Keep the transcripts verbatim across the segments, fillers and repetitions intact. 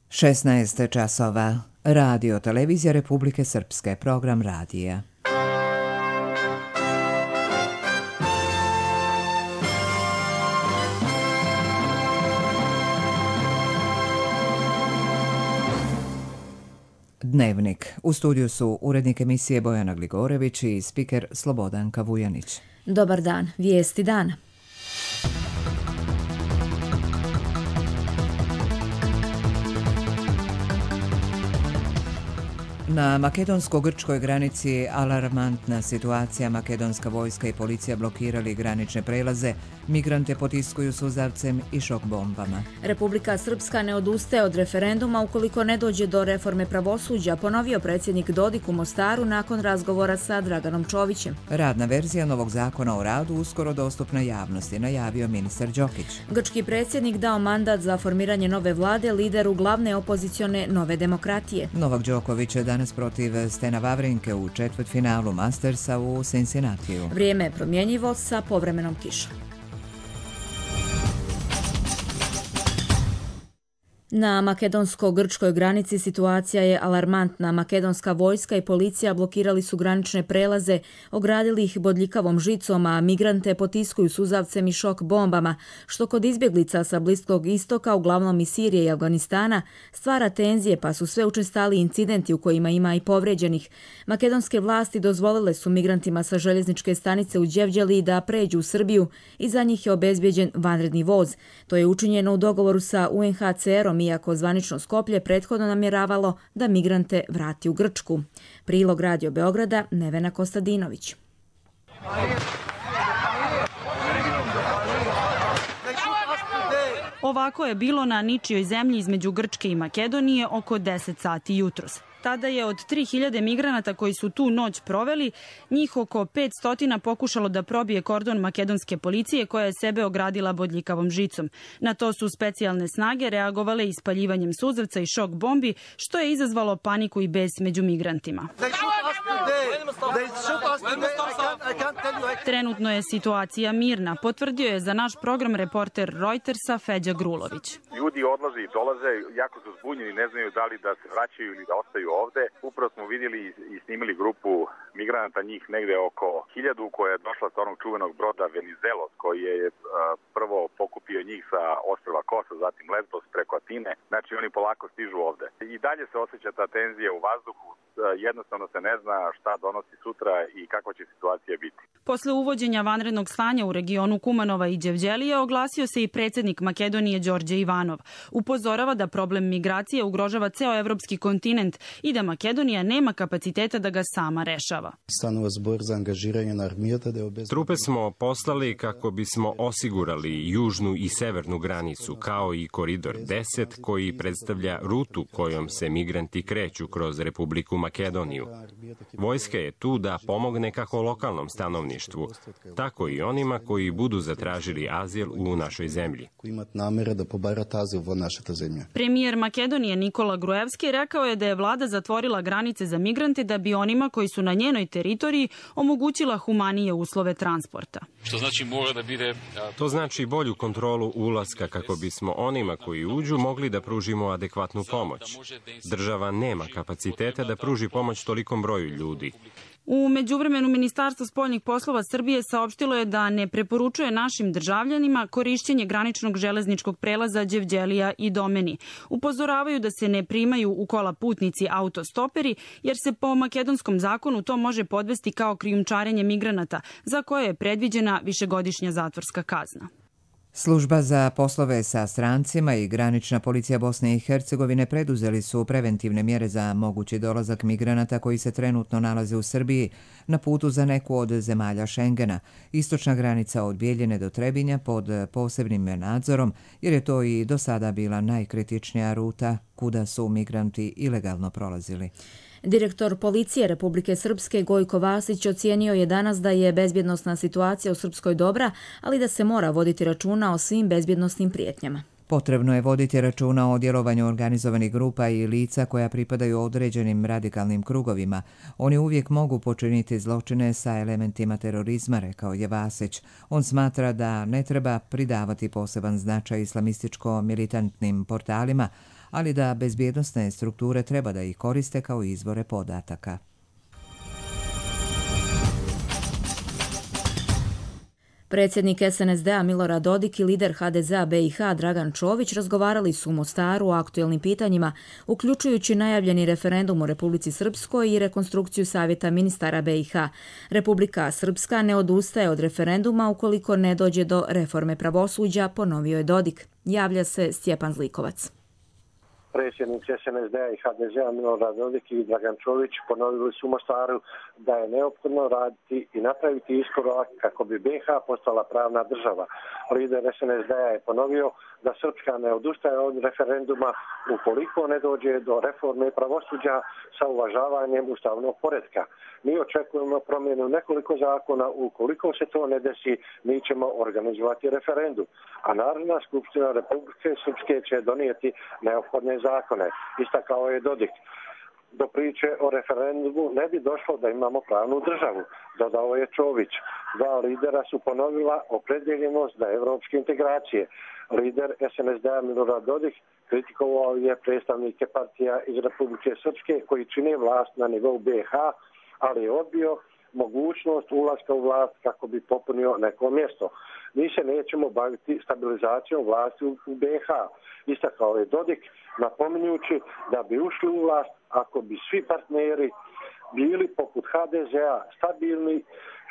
šesnaest časova. Radio Televizija Republike Srpske, program radija. Dnevnik. U studiju su urednik emisije Bojana Gligorević i spiker Slobodanka Vujanić. Dobar dan. Vijesti dana. Na makedonsko-grčkoj granici alarmantna situacija. Makedonska vojska i policija blokirali granične prelaze, migrante potiskuju suzavcem i šok bombama. Republika Srpska ne odustaje od referenduma ukoliko ne dođe do reforme pravosuđa, ponovio predsjednik Dodik u Mostaru nakon razgovora sa Draganom Čovićem. Radna verzija novog zakona o radu uskoro dostupna javnosti, najavio ministar Đokić. Grčki predsjednik dao mandat za formiranje nove vlade lideru glavne opozicione Nove demokratije. Novak Đoković je danas protiv Stena Vavrinke u četvrtfinalu Mastersa u Cincinnatiju. Vrijeme je promjenjivo sa povremenom kišom. Na makedonsko-grčkoj granici situacija je alarmantna. Makedonska vojska i policija blokirali su granične prelaze, ogradili ih bodljikavom žicom, a migrante potiskuju suzavcem i šok bombama, što kod izbjeglica sa Bliskog istoka, uglavnom iz Sirije i Afganistana, stvara tenzije, pa su sve učestali incidenti u kojima ima i povrijeđenih. Makedonske vlasti dozvolile su migrantima sa željezničke stanice u Đevđeliji da pređu u Srbiju i za njih je obezbjeđen vanredni voz. To je učinjeno u dogovoru sa U N H C R-om, iako zvanično Skoplje prethodno namjeravalo da migrante vrati u Grčku. Prilog Radio Beograda, Nevena Kostadinović. Ovako je bilo na ničijoj zemlji između Grčke i Makedonije oko deset sati jutros. Tada je od tri hiljade migranata koji su tu noć proveli, njih oko petsto pokušalo da probije kordon makedonske policije koja je sebe ogradila bodljikavom žicom. Na to su specijalne snage reagovale ispaljivanjem suzavca i šok bombi, što je izazvalo paniku i bes među migrantima. Trenutno je situacija mirna, potvrdio je za naš program reporter Reutersa Feđa Grulović. Ljudi odlaze i dolaze, jako su zbunjeni, ne znaju da li da se vraćaju ili da ostaju ovde. Upravo smo vidjeli i snimili grupu migranata, njih negde oko hiljadu, koja je došla sa onog čuvenog broda Venizelos, koji je uh, prvo pokupio njih sa ostrva Kosa, zatim Lesbos preko Atine. Znači oni polako stižu ovde. I dalje se osjeća ta tenzija u vazduhu. Uh, jednostavno se ne zna šta donosi sutra i kakva će situacija biti. Posle uvođenja vanrednog stanja u regionu Kumanova i Đevđelije oglasio se i predsjednik Makedonije Đorđe Ivanov. Upozorava da problem migracije ugrožava ceo evropski kontinent i da Makedonija nema kapaciteta da ga sama rešava. Trupe smo poslali kako bismo osigurali južnu i severnu granicu, kao i koridor deset koji predstavlja rutu kojom se migranti kreću kroz Republiku Makedoniju. Vojska je tu da pomogne kako lokalnom stanovništvu, tako i onima koji budu zatražili azil u našoj zemlji. Premijer Makedonije Nikola Gruevski rekao je da je vlada zatvorila granice za migrante da bi onima koji su na njenoj teritoriji omogućila humanije uslove transporta. Što znači mora da bide... To znači bolju kontrolu ulaska kako bismo onima koji uđu mogli da pružimo adekvatnu pomoć. Država nema kapaciteta da pruži pomoć tolikom broju ljudi. U međuvremenu Ministarstvo spoljnih poslova Srbije saopštilo je da ne preporučuje našim državljanima korišćenje graničnog železničkog prelaza Đevđelija i Domeni. Upozoravaju da se ne primaju u kola putnici autostoperi, jer se po makedonskom zakonu to može podvesti kao krijumčarenje migranata, za koje je predviđena višegodišnja zatvorska kazna. Služba za poslove sa strancima i granična policija Bosne i Hercegovine preduzeli su preventivne mjere za mogući dolazak migranata koji se trenutno nalaze u Srbiji na putu za neku od zemalja Šengena. Istočna granica od Bijeljine do Trebinja pod posebnim nadzorom, jer je to i do sada bila najkritičnija ruta kuda su migranti ilegalno prolazili. Direktor policije Republike Srpske Gojko Vasić ocijenio je danas da je bezbjednosna situacija u Srpskoj dobra, ali da se mora voditi računa o svim bezbjednosnim prijetnjama. Potrebno je voditi računa o djelovanju organizovanih grupa i lica koja pripadaju određenim radikalnim krugovima. Oni uvijek mogu počiniti zločine sa elementima terorizma, rekao je Vasić. On smatra da ne treba pridavati poseban značaj islamističko-militantnim portalima, ali da bezbjednosne strukture treba da ih koriste kao izvore podataka. Predsjednik es en es de a Milorad Dodik i lider ha de zea be i ha Dragan Čović razgovarali su u Mostaru o aktuelnim pitanjima, uključujući najavljeni referendum u Republici Srpskoj i rekonstrukciju Savjeta ministara be i ha. Republika Srpska ne odustaje od referenduma ukoliko ne dođe do reforme pravosuđa, ponovio je Dodik. Javlja se Stjepan Zlikovac. Predsjednici es en es de a i ha de zea Milorad Dodik i Dragan Čović ponovili su u Mostaru da je neophodno raditi i napraviti iskorak kako bi be i ha postala pravna država. Lider es en es de a je ponovio da Srpska ne odustaje od referenduma ukoliko ne dođe do reforme pravosuđa sa uvažavanjem ustavnog poretka. Mi očekujemo promjenu nekoliko zakona, ukoliko se to ne desi, mi ćemo organizovati referendum. A Narodna skupština Republike Srpske će donijeti neophodne zakone, istakao je Dodik. Do priče o referendumu ne bi došlo da imamo pravnu državu, dodao je Čović. Dva lidera su ponovila opredjeljenost za evropske integracije. Lider es en es de a Milorad Dodik kritikovao je predstavnike partija iz Republike Srpske koji čine vlast na nivou be i ha, ali je odbio mogućnost ulaska u vlast kako bi popunio neko mjesto. Mi se nećemo baviti stabilizacijom vlasti u be i ha, istakao je Dodik, napominjući da bi ušli u vlast ako bi svi partneri bili poput ha de zea stabilni,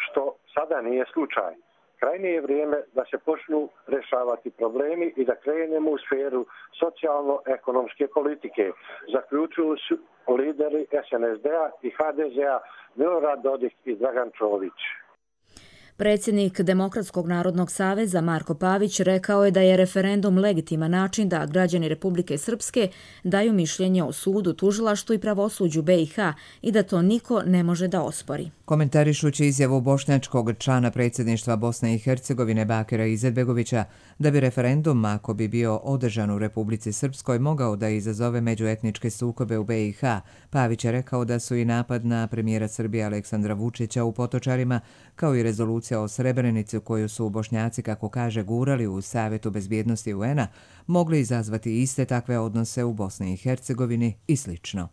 što sada nije slučaj. Krajnje je vrijeme da se počnu rješavati problemi i da krenemo u sferu socijalno-ekonomske politike, zaključuju su lideri es en es de a i ha de zea Milorad Dodik i Dragan Čović. Predsjednik Demokratskog narodnog saveza Marko Pavić rekao je da je referendum legitiman način da građani Republike Srpske daju mišljenje o sudu, tužilaštvu i pravosuđu be i ha i da to niko ne može da ospori. Komentarišući izjavu bošnjačkog člana predsjedništva Bosne i Hercegovine Bakira Izetbegovića da bi referendum, ako bi bio održan u Republici Srpskoj, mogao da izazove međuetničke sukobe u be i ha, Pavić je rekao da su i napad na premijera Srbije Aleksandra Vučića u Potočarima, kao i rezolucija o Srebrenici koju su Bošnjaci, kako kaže, gurali u Savjetu bezbjednosti u en a, mogli izazvati iste takve odnose u Bosni i Hercegovini i slično.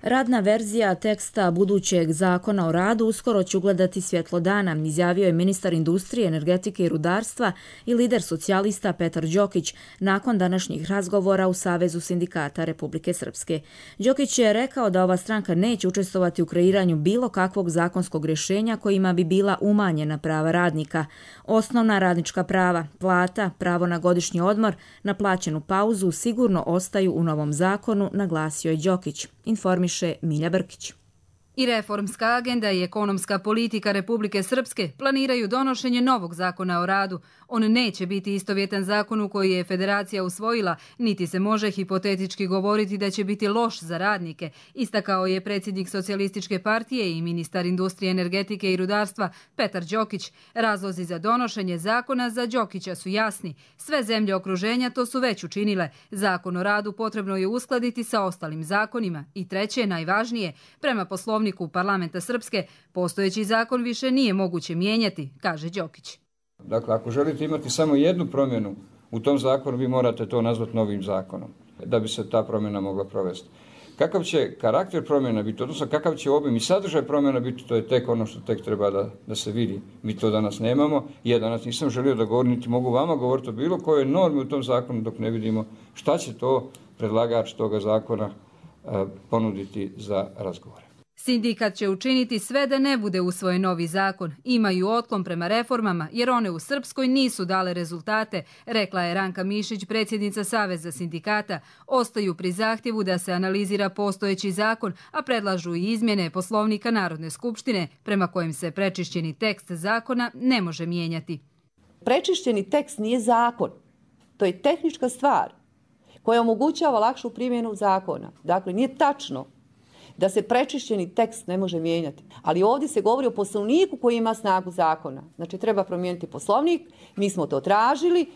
Radna verzija teksta budućeg zakona o radu uskoro će ugledati svjetlo dana, izjavio je ministar industrije, energetike i rudarstva i lider socijalista Petar Đokić nakon današnjih razgovora u Savezu sindikata Republike Srpske. Đokić je rekao da ova stranka neće učestvovati u kreiranju bilo kakvog zakonskog rješenja kojima bi bila umanjena prava radnika. Osnovna radnička prava, plata, pravo na godišnji odmor, na plaćenu pauzu sigurno ostaju u novom zakonu, naglasio je Đokić. Informiše Milja Brkić. I reformska agenda i ekonomska politika Republike Srpske planiraju donošenje novog zakona o radu. On neće biti istovjetan zakonu koji je Federacija usvojila, niti se može hipotetički govoriti da će biti loš za radnike, istakao je predsjednik Socijalističke partije i ministar industrije, energetike i rudarstva Petar Đokić. Razlozi za donošenje zakona za Đokića su jasni. Sve zemlje okruženja to su već učinile. Zakon o radu potrebno je uskladiti sa ostalim zakonima. I treće, najvažnije, prema poslovniku Parlamenta Srpske, postojeći zakon više nije moguće mijenjati, kaže Đokić. Dakle, ako želite imati samo jednu promjenu u tom zakonu, vi morate to nazvati novim zakonom, da bi se ta promjena mogla provesti. Kakav će karakter promjena biti, odnosno kakav će obim i sadržaj promjena biti, to je tek ono što tek treba da, da se vidi. Mi to danas nemamo. Ja danas nisam želio da govorim, niti mogu vama govoriti o bilo kojoj normi u tom zakonu dok ne vidimo šta će to predlagač toga zakona uh, ponuditi za razgovore. Sindikat će učiniti sve da ne bude usvojen novi zakon. Imaju otklon prema reformama jer one u Srpskoj nisu dale rezultate, rekla je Ranka Mišić, predsjednica Saveza sindikata. Ostaju pri zahtjevu da se analizira postojeći zakon, a predlažu i izmjene Poslovnika Narodne skupštine, prema kojem se prečišćeni tekst zakona ne može mijenjati. Prečišćeni tekst nije zakon. To je tehnička stvar koja omogućava lakšu primjenu zakona. Dakle, nije tačno da se prečišćeni tekst ne može mijenjati. Ali ovdje se govori o poslovniku koji ima snagu zakona. Znači, treba promijeniti poslovnik, mi smo to tražili.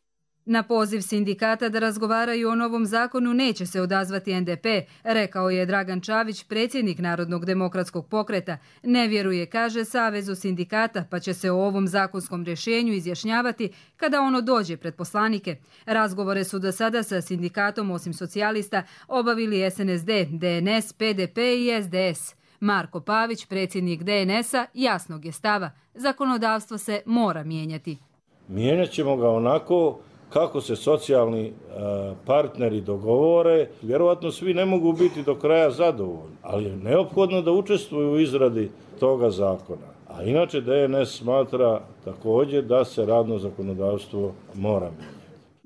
Na poziv sindikata da razgovaraju o novom zakonu neće se odazvati en de pe, rekao je Dragan Čavić, predsjednik Narodnog demokratskog pokreta. Ne vjeruje, kaže, Savezu sindikata, pa će se o ovom zakonskom rješenju izjašnjavati kada ono dođe pred poslanike. Razgovore su do sada sa sindikatom, osim socijalista, obavili es en es de, de en es, pe de pe i es de es. Marko Pavić, predsjednik de en esa, jasnog je stava. Zakonodavstvo se mora mijenjati. Mijenjat ćemo ga onako kako se socijalni partneri dogovore. Vjerovatno svi ne mogu biti do kraja zadovoljni, ali je neophodno da učestvuju u izradi toga zakona. A inače de en es smatra također da se radno zakonodavstvo mora mijenjati.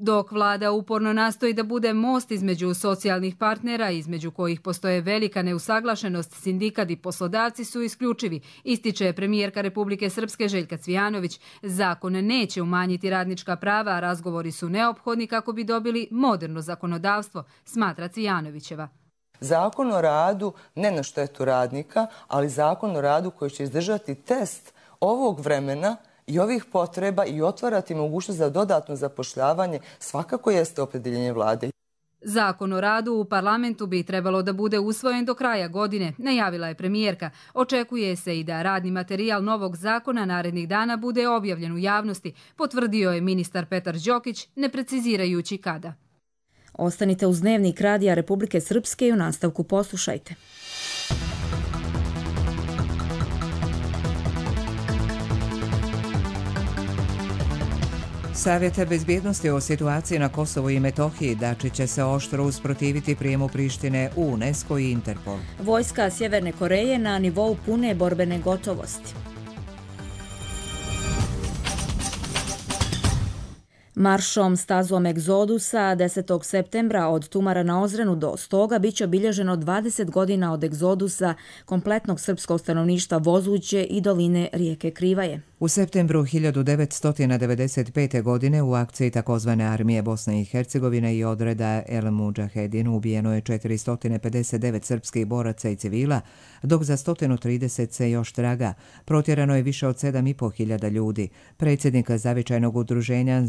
Dok vlada uporno nastoji da bude most između socijalnih partnera, između kojih postoje velika neusaglašenost, sindikat i poslodavci su isključivi, ističe premijerka Republike Srpske Željka Cvijanović. Zakon neće umanjiti radnička prava, a razgovori su neophodni kako bi dobili moderno zakonodavstvo, smatra Cvijanovićeva. Zakon o radu ne na štetu radnika, ali zakon o radu koji će izdržati test ovog vremena i ovih potreba i otvarati mogućnost za dodatno zapošljavanje svakako jeste opredjeljenje vlade. Zakon o radu u parlamentu bi trebalo da bude usvojen do kraja godine, najavila je premijerka. Očekuje se i da radni materijal novog zakona narednih dana bude objavljen u javnosti, potvrdio je ministar Petar Đokić, ne precizirajući kada. Ostanite uz Dnevnik Radija Republike Srpske i u nastavku poslušajte. Savjet bezbjednosti o situaciji na Kosovu i Metohiji Dačić će se oštro usprotiviti prijemu Prištine u UNESCO i Interpol. Vojska Sjeverne Koreje na nivou pune borbene gotovosti. Maršom stazom egzodusa desetog septembra od Tumara na Ozrenu do Stoga biće obilježeno dvadeset godina od egzodusa kompletnog srpskog stanovništva Vozuće i doline rijeke Krivaje. U septembru hiljadu devetsto devedeset pete. godine u akciji takozvane armije Bosne i Hercegovine i odreda El Mudžahedin ubijeno je četiristo pedeset devet srpskih boraca i civila, dok za sto trideset se još traga. Protjerano je više od sedam i po hiljada ljudi. Predsjednik zavičajnog udruženja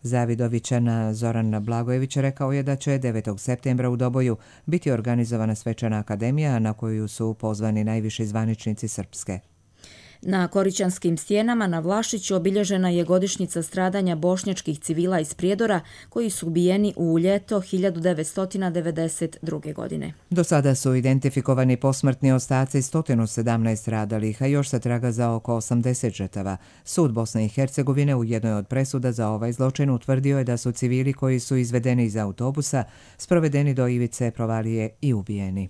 Zavidovićana Zoran Blagojević rekao je da će devetog septembra u Doboju biti organizovana svečana akademija na koju su pozvani najviši zvaničnici Srpske. Na Korićanskim stijenama na Vlašiću obilježena je godišnjica stradanja bošnjačkih civila iz Prijedora koji su ubijeni u ljeto hiljadu devetsto devedeset druge. godine. Do sada su identifikovani posmrtni ostaci sto sedamnaest stradalih, a još se traga za oko osamdeset žrtava. Sud Bosne i Hercegovine u jednoj od presuda za ovaj zločin utvrdio je da su civili koji su izvedeni iz autobusa sprovedeni do ivice provalije i ubijeni.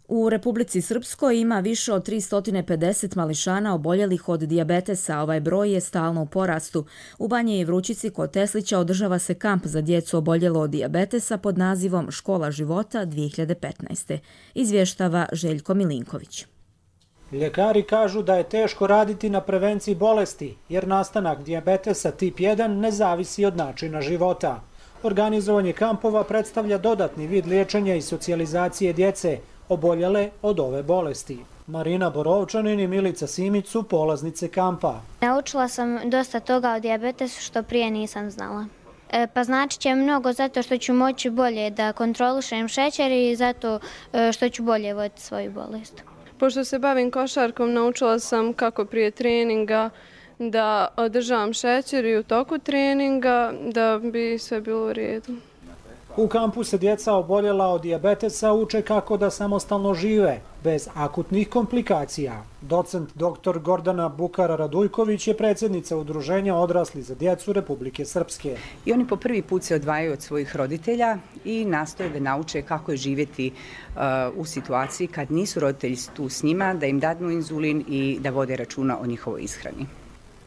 U Republici Srpskoj ima više od tristo pedeset mališana oboljelih od dijabetesa. Ovaj broj je stalno u porastu. U Banji i Vrućici kod Teslića održava se kamp za djecu oboljelo od dijabetesa pod nazivom Škola života dvije hiljade petnaeste. Izvještava Željko Milinković. Ljekari kažu da je teško raditi na prevenciji bolesti, jer nastanak dijabetesa tip jedan ne zavisi od načina života. Organizovanje kampova predstavlja dodatni vid liječenja i socijalizacije djece oboljele od ove bolesti. Marina Borovčanin i Milica Simić su polaznice kampa. Naučila sam dosta toga o dijabetesu što prije nisam znala. E, pa znači će mnogo zato što ću moći bolje da kontrolišem šećer i zato što ću bolje voditi svoju bolest. Pošto se bavim košarkom, naučila sam kako prije treninga da održavam šećer i u toku treninga da bi sve bilo u redu. U kampu se djeca oboljela od dijabetesa uče kako da samostalno žive, bez akutnih komplikacija. Docent doktor Gordana Bukara-Radujković je predsjednica Udruženja odrasli za djecu Republike Srpske. I oni po prvi put se odvajaju od svojih roditelja i nastoje da nauče kako je živjeti uh, u situaciji kad nisu roditelji tu s njima, da im dadnu inzulin i da vode računa o njihovoj ishrani.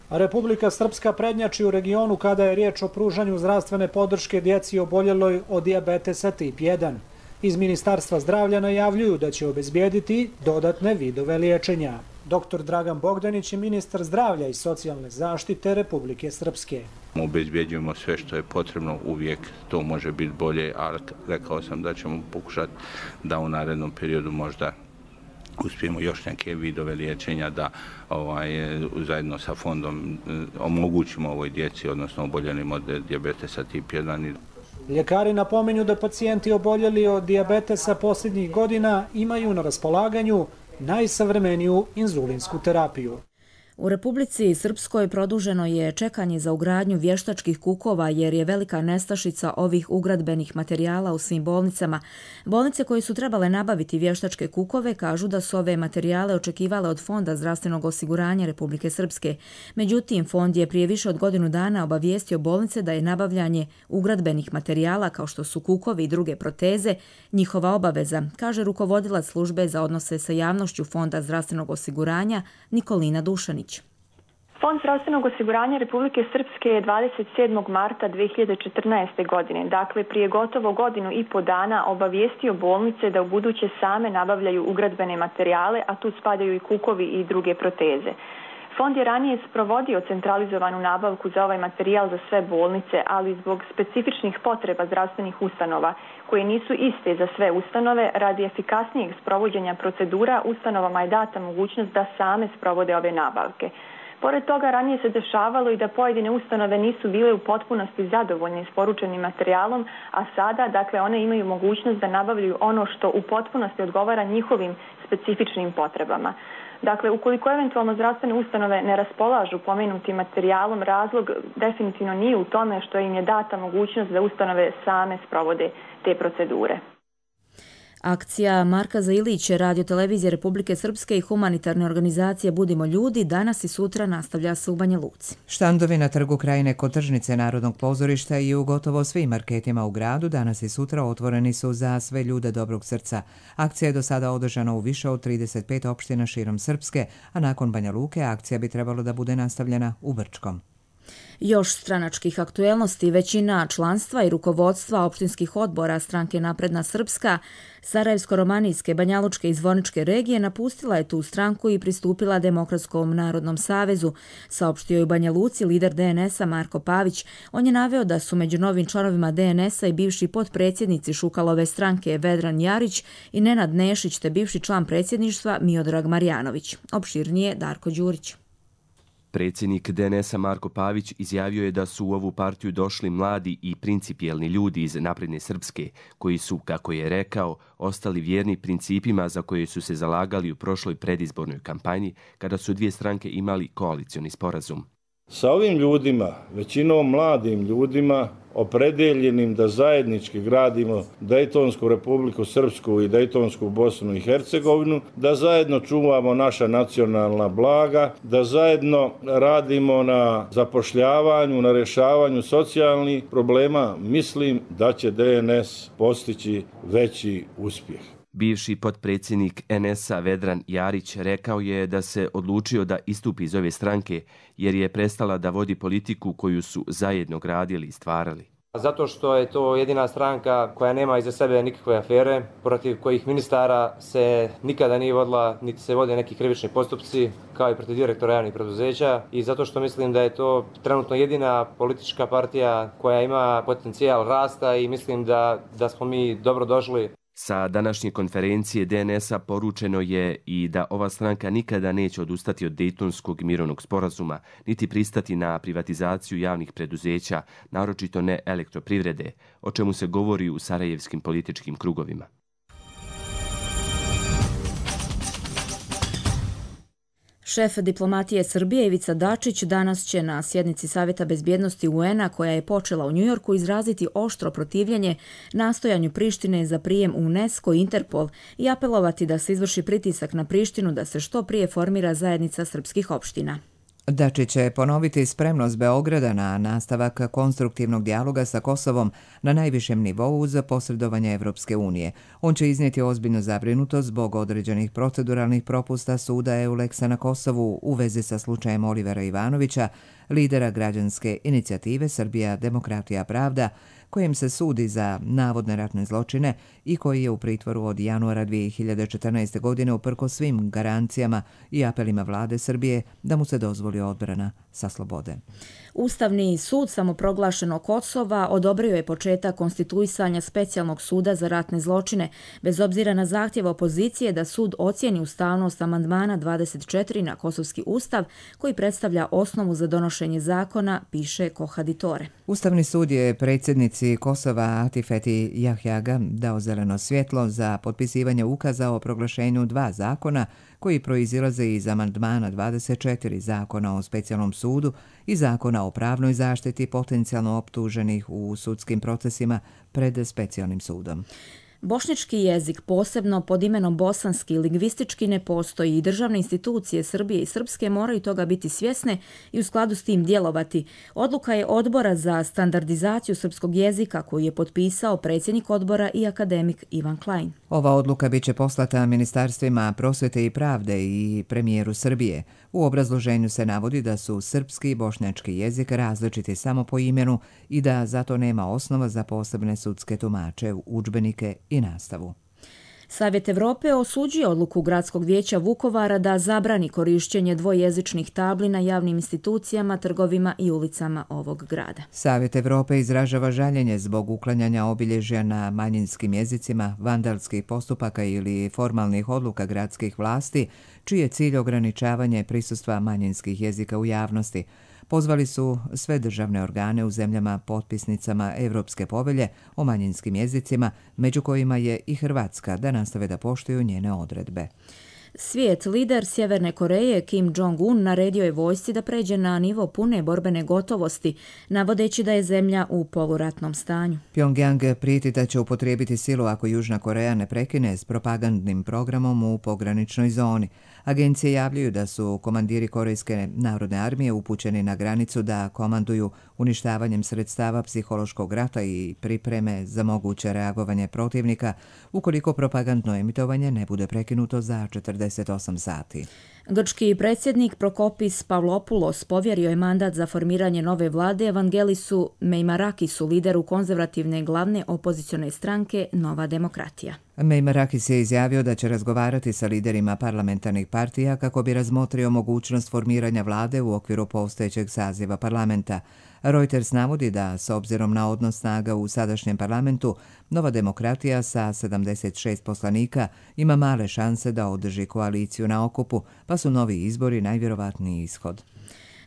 Republika Srpska prednjači u regionu kada je riječ o pružanju zdravstvene podrške djeci oboljeloj od dijabetesa tip jedan. Iz Ministarstva zdravlja najavljuju da će obezbijediti dodatne vidove liječenja. doktor Dragan Bogdanić je ministar zdravlja i socijalne zaštite Republike Srpske. Obezbjeđujemo sve što je potrebno, uvijek to može biti bolje, ali rekao sam da ćemo pokušati da u narednom periodu možda uspijemo još neke vidove liječenja da ovaj, zajedno sa fondom omogućimo ovoj djeci, odnosno oboljelim od dijabetesa tip jedan. Ljekari napominju da pacijenti oboljeli od dijabetesa posljednjih godina imaju na raspolaganju najsavremeniju inzulinsku terapiju. U Republici Srpskoj produženo je čekanje za ugradnju vještačkih kukova jer je velika nestašica ovih ugradbenih materijala u svim bolnicama. Bolnice koje su trebale nabaviti vještačke kukove kažu da su ove materijale očekivale od Fonda zdravstvenog osiguranja Republike Srpske. Međutim, fond je prije više od godinu dana obavijestio bolnice da je nabavljanje ugradbenih materijala kao što su kukovi i druge proteze njihova obaveza, kaže rukovodilac službe za odnose sa javnošću Fonda zdravstvenog osiguranja Nikolina Dušanić. Fond zdravstvenog osiguranja Republike Srpske je dvadeset sedmog marta dve hiljade četrnaeste. godine, dakle prije gotovo godinu i po dana, obavijestio bolnice da u buduće same nabavljaju ugradbene materijale, a tu spadaju i kukovi i druge proteze. Fond je ranije sprovodio centralizovanu nabavku za ovaj materijal za sve bolnice, ali zbog specifičnih potreba zdravstvenih ustanova, koje nisu iste za sve ustanove, radi efikasnijeg sprovođenja procedura, ustanovama je data mogućnost da same sprovode ove nabavke. Pored toga, ranije se dešavalo i da pojedine ustanove nisu bile u potpunosti zadovoljne isporučenim materijalom, a sada, dakle, one imaju mogućnost da nabavljaju ono što u potpunosti odgovara njihovim specifičnim potrebama. Dakle, ukoliko eventualno zdravstvene ustanove ne raspolažu pomenutim materijalom, razlog definitivno nije u tome što im je data mogućnost da ustanove same sprovode te procedure. Akcija Marka Zailića, Radio televizije Republike Srpske i humanitarne organizacije Budimo ljudi danas i sutra nastavlja se u Banja Luci. Štandovi na Trgu Krajine kod tržnice Narodnog pozorišta i u gotovo svim marketima u gradu danas i sutra otvoreni su za sve ljude dobrog srca. Akcija je do sada održana u više od trideset pet opština širom Srpske, a nakon Banja Luke akcija bi trebalo da bude nastavljena u Brčkom. Još stranačkih aktuelnosti, većina članstva i rukovodstva opštinskih odbora stranke Napredna Srpska, Sarajevsko-romanijske, Banjalučke i Zvorničke regije napustila je tu stranku i pristupila Demokratskom narodnom savezu, saopštio je u Banja Luci lider D N S-a Marko Pavić. On je naveo da su među novim članovima D N S-a i bivši potpredsjednici Šukalove stranke Vedran Jarić i Nenad Nešić te bivši član predsjedništva Miodrag Marjanović. Opširnije Darko Đurić. Predsjednik D N S-a Marko Pavić izjavio je da su u ovu partiju došli mladi i principijelni ljudi iz Napredne Srpske, koji su, kako je rekao, ostali vjerni principima za koje su se zalagali u prošloj predizbornoj kampanji, kada su dvije stranke imali koalicioni sporazum. Sa ovim ljudima, većinom mladim ljudima, opredeljenim da zajednički gradimo Dejtonsku Republiku Srpsku i Dejtonsku Bosnu i Hercegovinu, da zajedno čuvamo naša nacionalna blaga, da zajedno radimo na zapošljavanju, na rješavanju socijalnih problema, mislim da će D N S postići veći uspjeh. Bivši potpredsjednik N S-a Vedran Jarić rekao je da se odlučio da istupi iz ove stranke jer je prestala da vodi politiku koju su zajedno gradili i stvarali. Zato što je to jedina stranka koja nema iza sebe nikakve afere, protiv kojih ministara se nikada nije vodila, niti se vode neki krivični postupci, kao i protiv direktora javnih preduzeća, i zato što mislim da je to trenutno jedina politička partija koja ima potencijal rasta i mislim da, da smo mi dobro došli. Sa današnje konferencije D N S-a poručeno je i da ova stranka nikada neće odustati od Dejtonskog mirovnog sporazuma, niti pristati na privatizaciju javnih preduzeća, naročito ne elektroprivrede, o čemu se govori u sarajevskim političkim krugovima. Šef diplomatije Srbije Ivica Dačić danas će na sjednici Savjeta bezbjednosti U N-a koja je počela u Njujorku izraziti oštro protivljenje nastojanju Prištine za prijem u UNESCO i Interpol i apelovati da se izvrši pritisak na Prištinu da se što prije formira zajednica srpskih opština. Dačić će ponoviti spremnost Beograda na nastavak konstruktivnog dijaloga sa Kosovom na najvišem nivou uz posredovanje Evropske unije. On će iznijeti ozbiljnu zabrinutost zbog određenih proceduralnih propusta suda Euleksa na Kosovu u vezi sa slučajem Olivera Ivanovića, lidera građanske inicijative Srbija, demokratija, pravda, kojim se sudi za navodne ratne zločine i koji je u pritvoru od januara dvije hiljade četrnaeste. godine uprkos svim garancijama i apelima vlade Srbije da mu se dozvoli odbrana sa slobode. Ustavni sud samoproglašenog Kosova odobrio je početak konstituisanja specijalnog suda za ratne zločine, bez obzira na zahtjev opozicije da sud ocijeni ustavnost amandmana dvadeset četiri na Kosovski ustav, koji predstavlja osnovu za donošenje zakona, piše Kohaditore. Ustavni sud je predsjednici Kosova Atifeti Jahjaga dao zeleno svjetlo za potpisivanje ukaza o proglašenju dva zakona koji proizilaze iz amandmana dvadeset četiri Zakona o specijalnom sudu i Zakona o pravnoj zaštiti potencijalno optuženih u sudskim procesima pred specijalnim sudom. Bošnjački jezik, posebno pod imenom bosanski, lingvistički ne postoji i državne institucije Srbije i Srpske moraju toga biti svjesne i u skladu s tim djelovati. Odluka je Odbora za standardizaciju srpskog jezika koju je potpisao predsjednik odbora i akademik Ivan Klein. Ova odluka biće poslata ministarstvima prosvete i pravde i premijeru Srbije. U obrazloženju se navodi da su srpski i bošnjački jezik različiti samo po imenu i da zato nema osnova za posebne sudske tumače, udžbenike i nastavu. Savjet Evrope osuđuje odluku Gradskog vijeća Vukovara da zabrani korišćenje dvojezičnih tabli na javnim institucijama, trgovima i ulicama ovog grada. Savjet Evrope izražava žaljenje zbog uklanjanja obilježja na manjinskim jezicima, vandalskih postupaka ili formalnih odluka gradskih vlasti, čiji je cilj ograničavanje prisustva manjinskih jezika u javnosti. Pozvali su sve državne organe u zemljama potpisnicama Evropske povelje o manjinskim jezicima, među kojima je i Hrvatska, da nastave da poštuju njene odredbe. Svijet, lider Sjeverne Koreje Kim Jong-un naredio je vojsci da pređe na nivo pune borbene gotovosti, navodeći da je zemlja u poluratnom stanju. Pyongyang prijeti da će upotrijebiti silu ako Južna Koreja ne prekine s propagandnim programom u pograničnoj zoni. Agencije javljaju da su komandiri Korejske narodne armije upućeni na granicu da komanduju uništavanjem sredstava psihološkog rata i pripreme za moguće reagovanje protivnika ukoliko propagandno emitovanje ne bude prekinuto za četrdeset osam sati. Grčki predsjednik Prokopis Pavlopoulos povjerio je mandat za formiranje nove vlade Evangelisu Meimarakisu, lideru konzervativne glavne opozicione stranke Nova demokratija. Meimarakis je izjavio da će razgovarati sa liderima parlamentarnih partija kako bi razmotrio mogućnost formiranja vlade u okviru postojećeg saziva parlamenta. Reuters navodi da, s obzirom na odnos snaga u sadašnjem parlamentu, Nova demokratija sa sedamdeset šest poslanika ima male šanse da održi koaliciju na okupu, pa su novi izbori najvjerovatniji ishod.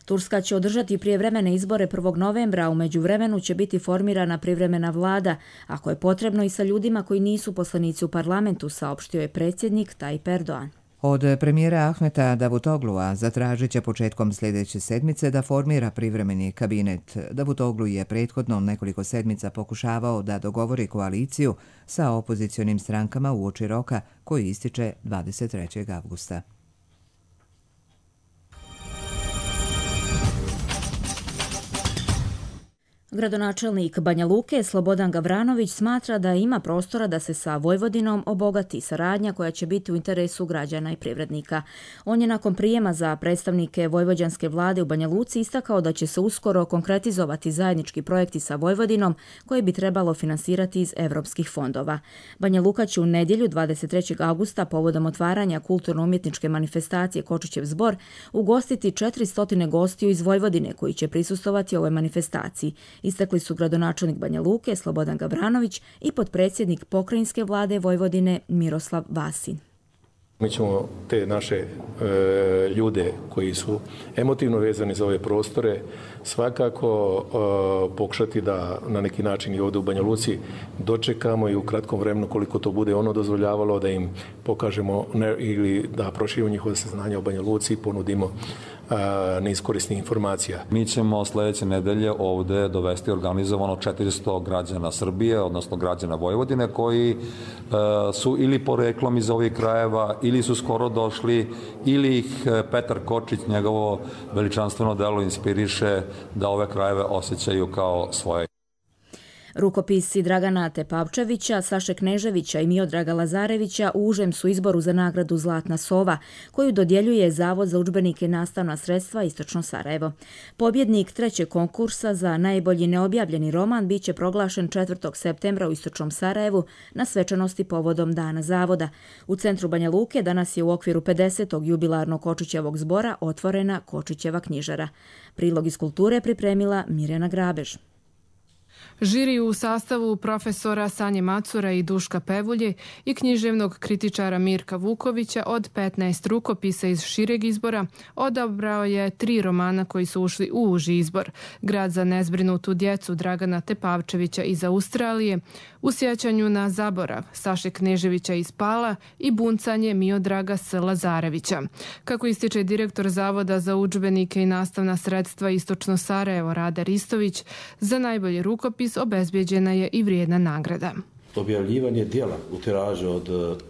Turska će održati prijevremene izbore prvog novembra, a u međuvremenu će biti formirana privremena vlada, ako je potrebno i sa ljudima koji nisu poslanici u parlamentu, saopštio je predsjednik Tayyip Erdogan. Od premijera Ahmeta Davutoglua zatražit će početkom sljedeće sedmice da formira privremeni kabinet. Davutoglu je prethodno nekoliko sedmica pokušavao da dogovori koaliciju sa opozicionim strankama uoči roka koji ističe dvadeset trećeg avgusta. Gradonačelnik Banja Luke Slobodan Gavranović smatra da ima prostora da se sa Vojvodinom obogati saradnja koja će biti u interesu građana i privrednika. On je nakon prijema za predstavnike vojvođanske vlade u Banja Luci istakao da će se uskoro konkretizovati zajednički projekti sa Vojvodinom koje bi trebalo finansirati iz evropskih fondova. Banja Luka će u nedjelju dvadeset trećeg avgusta povodom otvaranja kulturno-umjetničke manifestacije Kočićev zbor ugostiti četiristo gostiju iz Vojvodine koji će prisustovati ovoj manifestaciji. Istakli su gradonačelnik Banja Luke Slobodan Gavranović i potpredsjednik pokrajinske vlade Vojvodine Miroslav Vasin. Mi ćemo te naše e, ljude koji su emotivno vezani za ove prostore svakako e, pokušati da na neki način i ovdje u Banja Luci dočekamo i u kratkom vremenu koliko to bude ono dozvoljavalo da im pokažemo ne, ili da proširimo njihove saznanja o Banja Luci i ponudimo niz korisnih informacija. Mi ćemo sljedeće nedelje ovdje dovesti organizovano četiristo građana Srbije, odnosno građana Vojvodine, koji e, su ili poreklom iz ovih krajeva, ili su skoro došli, ili ih Petar Kočić, njegovo veličanstveno delo, inspiriše da ove krajeve osjećaju kao svoje. Rukopisi Dragana Tepavčevića, Saše Kneževića i Miodraga Lazarevića u užem su izboru za nagradu Zlatna sova, koju dodjeljuje Zavod za udžbenike i nastavna sredstva Istočno Sarajevo. Pobjednik trećeg konkursa za najbolji neobjavljeni roman biće proglašen četvrtog septembra u Istočnom Sarajevu na svečanosti povodom Dana Zavoda. U centru Banja Luke danas je u okviru pedesetog jubilarnog Kočićevog zbora otvorena Kočićeva knjižara. Prilog iz kulture pripremila Mirjana Grabež. Žiri u sastavu profesora Sanje Macura i Duška Pevulje i književnog kritičara Mirka Vukovića od petnaest rukopisa iz šireg izbora odabrao je tri romana koji su ušli u uži izbor. Grad za nezbrinutu djecu Dragana Tepavčevića iz Australije, U sjećanju na zaborav Saše Kneževića iz Pala i Buncanje Miodraga S. Lazarevića. Kako ističe direktor Zavoda za udžbenike i nastavna sredstva Istočno Sarajevo Rade Ristović, za najbolji rukopis obezbjeđena je i vrijedna nagrada. Objavljivanje dijela u tiražu od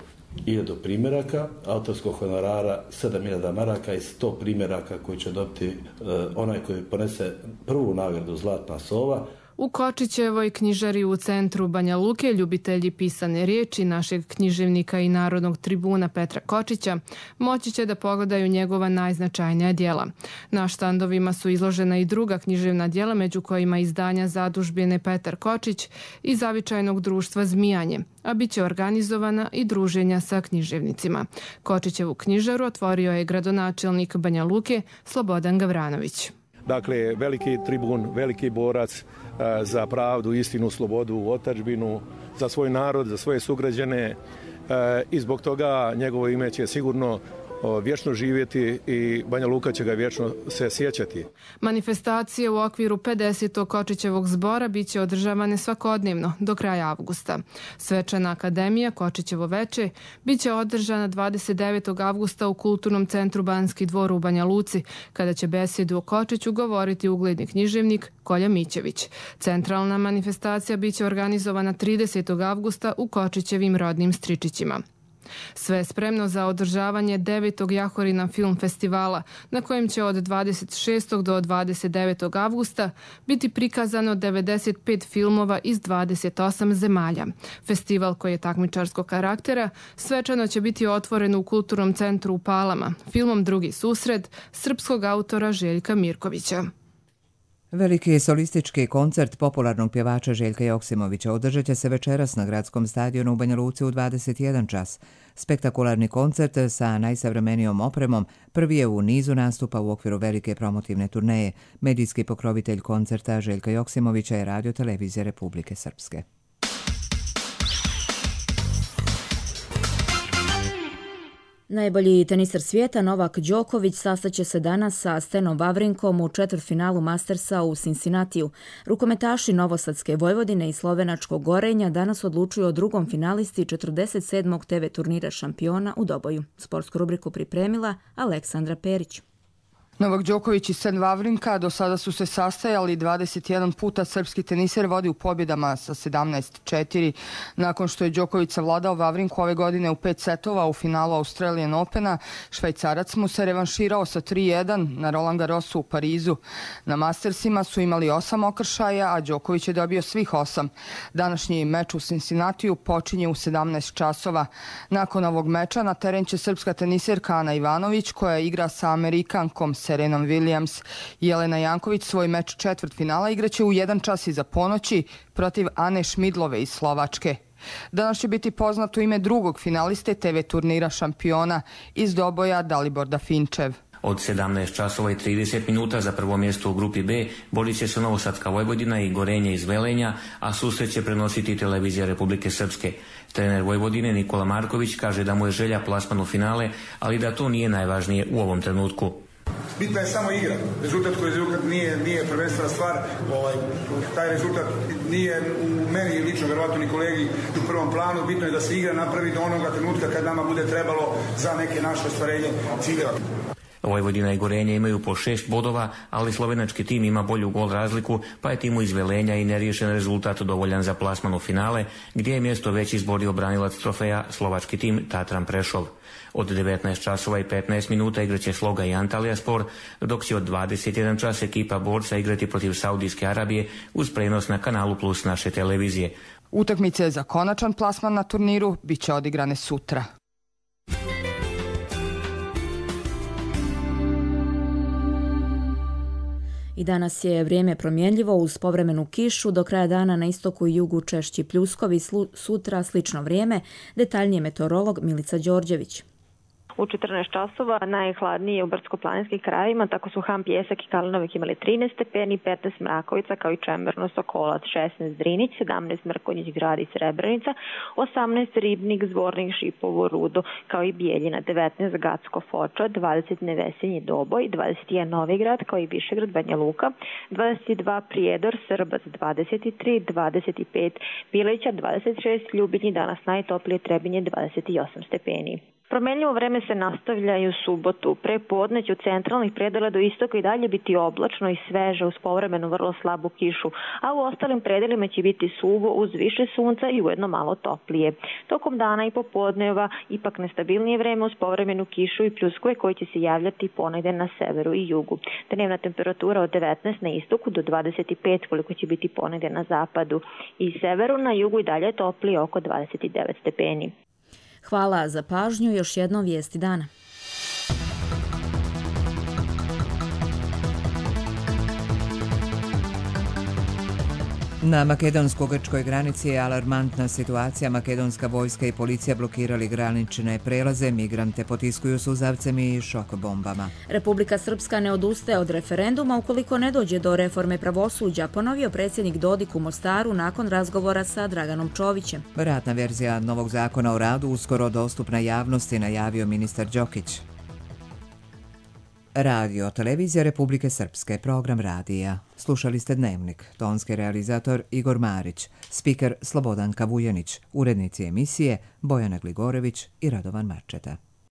hiljadu primjeraka, autorskog honorara sedam hiljada maraka i sto primjeraka koji će dobiti uh, onaj koji ponese prvu nagradu Zlatna sova. U Kočićevoj knjižari u centru Banja Luke ljubitelji pisane riječi našeg književnika i narodnog tribuna Petra Kočića moći će da pogledaju njegova najznačajnija djela. Na štandovima su izložena i druga književna djela, među kojima izdanja zadužbine Petar Kočić i Zavičajnog društva Zmijanje, a bit će organizovana i druženja sa književnicima. Kočićevu knjižaru otvorio je gradonačelnik Banja Luke Slobodan Gavranović. Dakle, veliki tribun, veliki borac za pravdu, istinu, slobodu, otadžbinu, za svoj narod, za svoje sugrađane i zbog toga njegovo ime će sigurno vječno živjeti i Banja Luka će ga vječno se sjećati. Manifestacije u okviru pedesetog Kočićevog zbora bit će održavane svakodnevno do kraja avgusta. Svečana akademija Kočićevo veče bit će održana dvadeset devetog avgusta u Kulturnom centru Banski dvor u Banja Luci, kada će besedu o Kočiću govoriti ugledni književnik Kolja Mićević. Centralna manifestacija bit će organizovana tridesetog avgusta u Kočićevim rodnim Stričićima. Sve je spremno za održavanje devetog Jahorina film festivala, na kojem će od dvadeset šestog do dvadeset devetog avgusta biti prikazano devedeset pet filmova iz dvadeset osam zemalja. Festival, koji je takmičarskog karaktera, svečano će biti otvoren u Kulturnom centru u Palama, filmom Drugi susret srpskog autora Željka Mirkovića. Veliki solistički koncert popularnog pjevača Željka Joksimovića održat će se večeras na gradskom stadionu u Banja Luci u dvadeset jedan čas. Spektakularni koncert sa najsavremenijom opremom prvi je u nizu nastupa u okviru velike promotivne turneje. Medijski pokrovitelj koncerta Željka Joksimovića je Radio televizija Republike Srpske. Najbolji teniser svijeta Novak Đoković sastaće se danas sa Stenom Wawrinkom u četvrtfinalu Mastersa u Cincinnatiju. Rukometaši Novosadske Vojvodine i Slovenačkog Gorenja danas odlučuju o drugom finalisti četrdeset sedmog te ve turnira šampiona u Doboju. Sportsku rubriku pripremila Aleksandra Perić. Novak Đoković i Sten Wawrinka do sada su se sastajali dvadeset jedan puta. Srpski teniser vodi u pobjedama sa sedamnaest četiri. Nakon što je Đoković savladao Wawrinku ove godine u pet setova u finalu Australian Opena, Švajcarac mu se revanširao sa tri jedan na Roland Garrosu u Parizu. Na Mastersima su imali osam okršaja, a Đoković je dobio svih osam. Današnji meč u Cincinnatiju počinje u sedamnaest časova. Nakon ovog meča na teren će srpska teniserka Ana Ivanović, koja igra sa Amerikankom Serenom Williams. Jelena Janković svoj meč četvrtfinala igraće u jedan čas iza ponoći protiv Ane Šmidlove iz Slovačke. Danas će biti poznato ime drugog finaliste te ve turnira šampiona iz Doboja Daliborda Finčev. Od sedamnaest časova i trideset minuta za prvo mjesto u grupi B borit će se Novosadska Vojvodina i Gorenje iz Velenja, a susret će prenositi televizija Republike Srpske. Trener Vojvodine Nikola Marković kaže da mu je želja plasman u finale, ali da to nije najvažnije u ovom trenutku. Bitna je samo igra. Rezultat koji rezultat nije, nije prvenstvena stvar. Ovaj, taj rezultat nije u meni lično, verovatno ni kolegi u prvom planu. Bitno je da se igra napravi do onoga trenutka kad nama bude trebalo za neke naše ostvarenje ciljeva. Vojvodina i Gorenje imaju po šest bodova, ali slovenački tim ima bolju gol razliku, pa je timu iz Velenja i neriješen rezultat dovoljan za plasman u finale, gdje je mjesto već izborio branilac trofeja slovački tim Tatran Prešov. Od devetnaest časova i petnaest minuta igraće Sloga i Antalija Spor, dok će od dvadeset jedan čas ekipa borca igrati protiv Saudijske Arabije uz prenos na Kanalu Plus naše televizije. Utakmice za konačan plasman na turniru bit će odigrane sutra. I danas je vrijeme promjenljivo uz povremenu kišu, do kraja dana na istoku i jugu češći pljuskovi, sutra slično vrijeme, detaljnije meteorolog Milica Đorđević. U četrnaest časova najhladnije u brdsko-planinskim krajevima, tako su Ham, Pjesak i Kalinovik imali trinaest stepeni, petnaest Mrakovica kao i Čemerno, Sokolac, šesnaest Drinić, sedamnaest Mrkonjić, Grad i Srebrenica, osamnaest Ribnik, Zvornik, Šipovo, Rudo kao i Bijeljina, devetnaest Gacko, Foča, dvadeset Nevesinje, Doboj, dvadeset jedan Novigrad kao i Višegrad, Banja Luka, dvadeset dva Prijedor, Srbac, dvadeset tri, dvadeset pet Pileća, dvadeset šest Ljubinji, danas najtoplije Trebinje, dvadeset osam stepeni. Promenljivo vreme se nastavlja i u subotu. Pre podne će u centralnih predela do istoka i dalje biti oblačno i sveže uz povremenu vrlo slabu kišu, a u ostalim predelima će biti suvo uz više sunca i ujedno malo toplije. Tokom dana i popodneva ipak nestabilnije vreme uz povremenu kišu i pljuskove koji će se javljati ponegde na severu i jugu. Dnevna temperatura od devetnaest na istoku do dvadeset pet koliko će biti ponegde na zapadu i severu, na jugu i dalje toplije oko dvadeset devet stepeni. Hvala za pažnju, još jedno vijesti dana. Na makedonsko-grčkoj granici je alarmantna situacija. Makedonska vojska i policija blokirali granične prelaze, migrante potiskuju suzavcem i šok bombama. Republika Srpska ne odustaje od referenduma ukoliko ne dođe do reforme pravosuđa, ponovio predsjednik Dodik u Mostaru nakon razgovora sa Draganom Čovićem. Ratna verzija novog zakona o radu uskoro dostupna javnosti, najavio ministar Đokić. Radio Televizija Republike Srpske, program radija. Slušali ste Dnevnik, tonski realizator Igor Marić, spiker Slobodan Kavujanić, urednici emisije Bojana Gligorević i Radovan Marčeta.